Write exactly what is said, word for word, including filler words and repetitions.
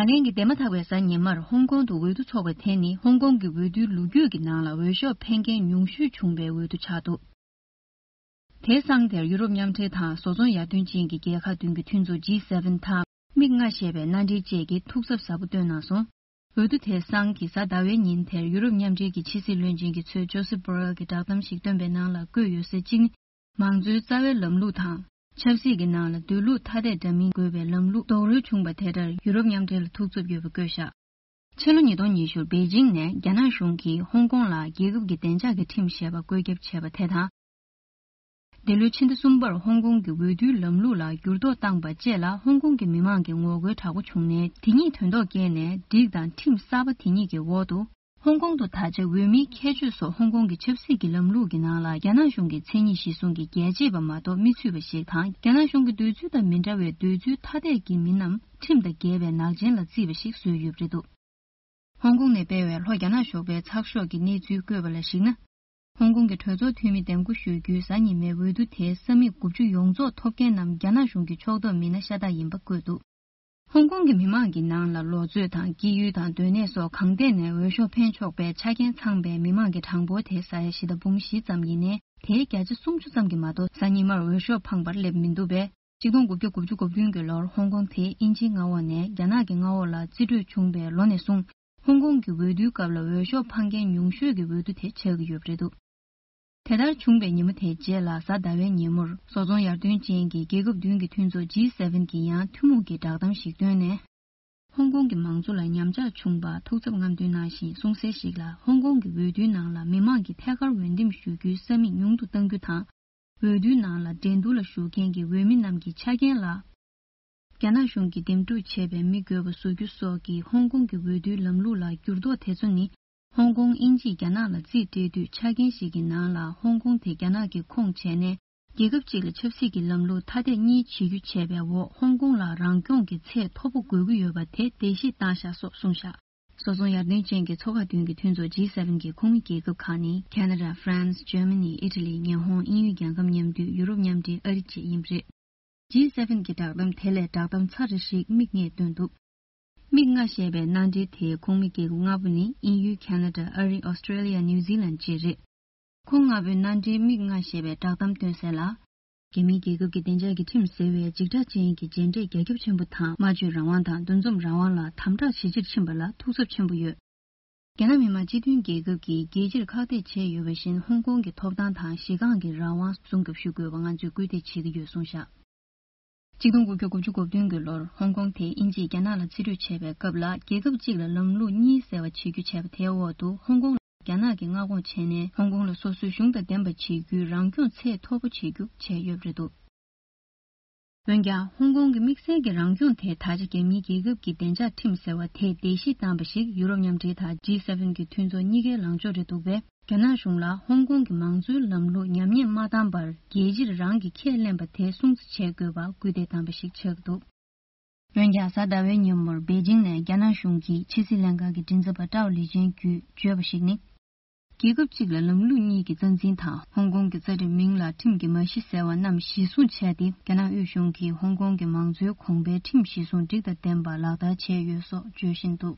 ལན་གྱི་འདས་མ་ཐག་པའི་གཟའ་ཉི་མར་ཧོང་ཀོང་དུ་འོས་བསྡུ་འཚོགས་པ་དེ་ནི་ཧོང་ཀོང་གི་འོས་བསྡུའི་ལོ་རྒྱུས་ཀྱི་ནང་ལ་འོས་ཤོག་འཕེན་མཁན་ཉུང་ཤོས་བྱུང་བའི་འོས་བསྡུ་ཆགས་འདུག་དེའི་སང་དེར་ཡུ་རོབ་མཉམ་འབྲེལ་དང་བཟོ་ཚོང་ཡར་ཐོན་ཅན་གྱི་རྒྱལ་ཁག་བདུན་གྱི་མཐུན་ཚོགས་ཇི་སེ་ཝེན་དང་མིག་ལྔ་ཞེས་པའི་མནའ་འབྲེལ་བཅས་ཀྱིས་ཐུགས་འཚབ་ཟབ་པོ་བཏོན་གནང་སོང་། འོས་བསྡུ་དེའི་སང་གི་གཟའ་ཟླ་བའི་ཉིན་དེར་ཡུ་རོབ་མཉམ་འབྲེལ་གྱི་ཕྱི་སྲིད་བློན་ཆེན་གྱིས་ཚོས་ཇོ་སེབ་བྷོ་རེལ་གྱི་བསྒྲགས་གཏམ་ཞིག་བཏོན་པའི་ནང་ལ་བཀོད་ཡོད་ཟེར་གཅིག་ནི། མང་གཙོའི་རྩ་བའི་ལམ་ལུགས་དང་། ཆབ་སྲིད་ཀྱི་ནང་ལ་སྡོད་ལུགས་ཐ་དད་འདྲ་མིན་དགོས་པའི་ལམ་ལུགས་རྡོག་རོལ་བྱུང་བ་དེ་ལྟར་ཡུ་རོབ་མཉམ་འབྲེལ་ལ་ཐུགས་འཚབ་ཡོད་པ་བཀོད་བཞག་ཕྱི་ལོ་ཉིས་སྟོང་ཉི་ཤུ་པེ་ཅིང་ནས་རྒྱ་ནག་གཞུང་གིས་ཧོང་ཀོང་ལ་རྒྱལ་ཁབ་ཀྱི་བདེ་འཇགས་ཀྱི་ཁྲིམས་ཞེས་པ་བཀོད་ཁྱབ་བྱས་པ་དེ་དང་། འདི་ལོའི་ཕྱི་ཟླ་གསུམ་པར་ཧོང་ཀོང་གི་འོས་བསྡུའི་ལམ་ལུགས་ལ་འགྱུར་ལྡོག་བཏང་པ་བཅས་ལ་ཧོང་ཀོང་གི་མི་མང་གི་ངོ་རྒོལ་དྲག་པོ་བྱུང་ནས། དེ་ཉིད་དོན་ཐོག་བསྐྱལ་ནས་སྒྲིག་དང་ཁྲིམས་གསར་པ་དེ་ཉིད་ཀྱི་འོག་ཏུ། ཧོང་ཀོང་དུ་ད་ཆ་འོས་མིའི་ཁྱད་ཆོས་སོགས་ཧོང་ཀོང་གི་ཆབ་སྲིད་ཀྱི་ལམ་ལུགས་ཀྱི་ནང་ལ་རྒྱ་ནག་གཞུང་གི་མཚན་ཉིད་གཞིར་བཟུང་གི་རྒྱལ་གཅེས་པ་མ་གཏོགས་མི་ཚུད་པ་ཞིག་དང་། རྒྱ་ནག་གཞུང་གི་འདོད་ཚུལ་དང་མི་འདྲ་བའི་འདོད་ཚུལ་ཐ་དད་ཀྱི་མི་རྣམས་ཁྲིམས་དང་འགལ་བའི་ནག་ཅན་ལ་བརྩིས་པ་ཞིག་བཟོས་ཡོད་པ་རེད་འདུག་ཧོང་ཀོང་ནས་སྤེལ་བའི་ལྷོ་རྒྱ་ནག་ཞོགས་པའི་ཚགས་ཤོག་གི་གནས་ཚུལ་བཀོད་པ་ལ་གཞིགས་ན། ཧོང་ཀོང་གི་གྲོས་ཚོགས་འཐུས་མི་འདེམས་བསྐོ་ཞུ་རྒྱུའི་གཟའ་ཉི་མའི་འོས་བསྡུ་དེའི་ས་མིག་དགུ་བཅུ་ཡོངས་རྫོགས་ཐོབ་མཁན་རྣམས་རྒྱ་ནག་གཞུང་གི་ཕྱོགས་གཏོགས་མི་སྣ་ཤ་སྟག་ཡིན་པ་བཀོད་འདུག་ཧོང་ཀོང་གི་མི་མང་གི་ནང་ལ་ལོ་ཚོད་དང་སྐྱེས་ཡུལ་དང་སྡོད་གནས་སོགས་གང་ཐད་ནས་འོས་ཤོག་འཕེན་ཆོག་པའི་ཆ་རྐྱེན་ཚང་པའི་མི་མང་གི་གྲངས་འབོར་དེ་ས་ཡ་བཞི་དང་འབུམ་བཞི་ཙམ་ཡིན་ནའི། དེའི་བརྒྱ་ཆ་སུམ་ཅུ་ཙམ་གྱིས་མ་གཏོགས་གཟའ་ཉི་མར་འོས་ཤོག་འཕངས་པར་སླེབས་མི་འདུག་པས། ཆིག་སྟོང་དགུ་བརྒྱ་དགུ་བཅུ་གོ་བདུན་གྱི་ལོར་ཧོང་ཀོང་དེ་དབྱིན་ཇིའི་མངའ་འོག་ནས་རྒྱ་ནག་གི་མངའ་འོག་ལ་རྩིས་སྤྲོད་བྱུང་བའི་ལོ་ནས་བཟུང་། ཧོང་ཀོང་གི་འོས་བསྡུའི་སྐབས་ལ་འོས་ཤོག་འཕངས་མཁན་ཉུང་ཤོས་ཀྱི་འོས་བསྡུ་དེ་ཆགས་ཀྱི་ཡོད་པ་རེད་འདུག་དེ་ལྟར་བྱུང་བའི་ཉིན་མོ་དེའི་རྗེས་ལ་གཟའ་ཟླ་བའི་ཉིན་མོར་བཟོ་ཚོང་ཡར་ཐོན་ཅན་གྱི་རྒྱལ་ཁབ་བདུན་གྱི་མཐུན་ཚོགས་ཇི་སེ་ཝེན་གྱིས་ཡང་ཐུན་མོང་གི་བསྒྲགས་གཏམ་ཞིག་བཏོན་ནས། ཧོང་ཀོང་གི་མང་གཙོ་ལ་ཉམས་ཆག་བྱུང་བར་ཐུགས་འཚབ་རྔམ་སྟོན་གནང་ཞིང་། གསུང་གསལ་ཞིག་ལ། ཧོང་ཀོང་གི་འོས་བསྡུའི་ནང་ལ་མི་མང་གིས་ཐད་ཀར་འོས་འདེམས་ཞུ་རྒྱུའི་ས་མིག་ཉུང་དུ་གཏང་རྒྱུ་དང་། འོས་བསྡུའི་ནང་ལ་འགྲན་བསྡུར་ལ་ཞུགས་མཁན་གྱི་འོས་མི་རྣམས་ཀྱི་ཆ་རྐྱེན་ལ། རྒྱ་ནག་གཞུང་གིས་འདེམས་སྒྲུག་བྱས་པའི་མི་དགོས་པ་བཟོ་རྒྱུ་སོགས་ཀྱིས་ཧོང་ཀོང་གི་འོས་བསྡུའི་ལམ་ལུགས་ལ་འགྱུར་ལྡོག་དེ་ཚོ་ནི། ཧོང་ཀོང་དབྱིན་ཇིས་རྒྱ་ནག་ལ་རྩིས་སྤྲད་དུས་ཆ་རྐྱེན་ཞིག་གི་ནང་ལ་ཧོང་ཀོང་དེ་རྒྱ་ནག་གི་ཁོངས་བྱས་ནས། རྒྱལ་ཁབ་ཅིག་ལ་ཆབ་སྲིད་ཀྱི་ལམ་ལུགས་ཐ་དད་གཉིས་བྱེད་རྒྱུ་བྱས་པའི་འོག་ཧོང་ཀོང་ལ་རང་སྐྱོང་གི་ཚད་མཐོ་པོ་དགོས་ཀྱི་ཡོད་པ་དེ་འགྲེལ་བཤད་བཏང་བཞག་སོགས་གསུངས་བཞག་བཟོ་ཚོང་ཡར་ཐོན་ཅན་གྱི་ཚོགས་ཁག་བདུན་གྱི་མཐུན་ཚོགས་ཇི་སེ་ཝེན་གྱི་ཁོངས་མི་རྒྱལ་ཁབ་ཁག་ནི་ཁ་ན་ཌ། ཧྥ་རན་སི། ཇར་མ་ནི། ཨི་ཊ་ལི། ཉི་ཧོང་། དབྱིན་ཡུལ་རྒྱལ་ཁབ་མཉམ་འདུས། ཡུ་རོབ་མཉམ་འབྲེལ། ཨ་རི་བཅས་ཡིན་པ་རེད། ཇི་སེ་ཝེན་གྱི་བསྒྲགས་གཏམ་དེ་ལས་བསྒྲགས་གཏམ་ཚ་རེ་ཞིག་མིག་སྔས་བཏོན་འདུག་མིག་ལྔ་ཞེས་པའི་མནའ་འབྲེལ་དེའི་ཁོངས་མི་རྒྱལ་ཁབ་ལྔ་པོ་ནི་དབྱིན་ཡུལ། ཁ་ན་ཌ། ཨ་རི། ཨོ་སི་ཀྲེ་ལི་ཡ། ནིའུ་ཛི་ལན་བཅས་རེད། ཁོང་ལྔ་པོའི་མནའ་འབྲེལ་མིག་ལྔ་ཞེས་པའི་བསྒྲགས་གཏམ་བཏོན་གསལ་ལ། རྒྱ་མིའི་རྒྱལ་ཁབ་ཀྱི་བདེ་འཇགས་ཀྱི་ཁྲིམས་ཟེར་བའི་འཇིགས་སྐྲག་ཅན་གྱི་མཇལ་འཕྲད་རྒྱ་ཁྱབ་ཆེན་པོ་དང་། སྨྲ་བརྗོད་རང་དབང་དང་འདུ་འཛོམས་རང་དབང་ལ་དམ་དྲག་ཇེ་ཆེར་ཕྱིན་པ་ལ་ཐུགས་འཚབ་ཆེན་པོ་ཡོད། རྒྱ་ནག་མི་དམངས་སྤྱི་མཐུན་རྒྱལ་ཁབ་ཀྱིས་རྒྱལ་སྤྱིར་ཁག་ཐེག་བྱས་ཡོད་པ་བཞིན། ཧོང་ཀོང་གི་ཐོབ་ཐང་དང་གཞི་རྐང་གི་རང་དབང་སྲུང་སྐྱོབ་ཞུ་དགོས་པ་ང་ཚོས་སྐུལ་འདེད་བྱེད་ཀྱི་ཡོད་གསུངས་བཞག་ཆིག་སྟོང་དགུ་བརྒྱ་དགུ་བཅུ་གོ་བདུན་གྱི་ལོར་ཧོང་ཀོང་དེ་དབྱིན་ཇིས་རྒྱ་ནག་ལ་རྩིས་སྤྲོད་བྱས་པའི་སྐབས་ལ། རྒྱལ་ཁབ་གཅིག་ལ་ལམ་ལུགས་གཉིས་ཟེར་བ་བྱེད་རྒྱུ་བྱས་པ་དེའི་འོག་ཏུ། ཧོང་ཀོང་ལ་རྒྱ་ནག་གིས་མངའ་ཁོངས་བྱས་ནས། ཧོང་ཀོང་ལ་སོ་སོའི་གཞུང་དང་ལྡན་པ་བྱེད་རྒྱུའི་རང་སྐྱོང་ཚད་མཐོ་པོ་བྱེད་རྒྱུ་བྱས་ཡོད་པ་རེད་འདུག་འོན་ཀྱང་། ཧོང་ཀོང་གི་དམིགས་བསལ་གྱི་རང་སྐྱོང་དེ་ད་ཆ་རྒྱ་མིའི་རྒྱལ་ཁབ་ཀྱི་བདེ་འཇགས་ཁྲིམས་ཟེར་བ་དེས་འགྲེལ་བཤད་བཏང་པ་ཞིག་ཡུ་རོབ་མཉམ་འབྲེལ་དང་ཇི་སེ་ཝེན་གྱི་མཐུན་ཚོགས་གཉིས་ཀའི་ལངས་ཕྱོགས་རེད་འདུག་པས། རྒྱ་ནག་གཞུང་ལ་ཧོང་ཀོང་གི་མང་གཙོའི་ལམ་ལུགས་ཉམས་ཉེས་མ་བཏང་བར། རྒྱལ་སྤྱིར་རང་གིས་ཁས་ལེན་པ་དེ་སྲུང་བརྩི་བྱེད་དགོས་པར་སྐུལ་འདེད་བཏང་པ་ཞིག་ཆགས་འདུག་འོན་ཀྱང་། གཟའ་ཟླ་བའི་ཉིན་མོར་པེ་ཅིང་ནས་རྒྱ་ནག་གཞུང་གི་ཕྱི་སྲིད་ལྷན་ཁང་གི་མགྲིན་ཚབ་པ་ཀྲའོ་ལི་ཅན་གྱིས་བརྗོད་པ་ཞིག་ནི། རྒྱལ་ཁབ་གཅིག་ལ་ལམ་ལུགས་གཉིས་ཀྱི་རྩ་འཛིན་དང་། ཧོང་ཀོང་གི་རྩ་ཁྲིམས་མིང་ལ་ཁྲིམས་ཀྱི་མ་གཞི་ཟེར་བ་རྣམས་གཞི་བཟུང་བྱས་ཏེ། རྒྱ་ནག་དབུས་གཞུང་གིས་ཧོང་ཀོང་གི་མང་གཙོའི་གོང་འཕེལ་ཁྲིམས་གཞི་བཟུང་སྒྲིག་དང་ལྡན་པ་ལག་བསྟར་བྱས་ཡོད་སོགས་བརྗོད་བཞིན་འདུག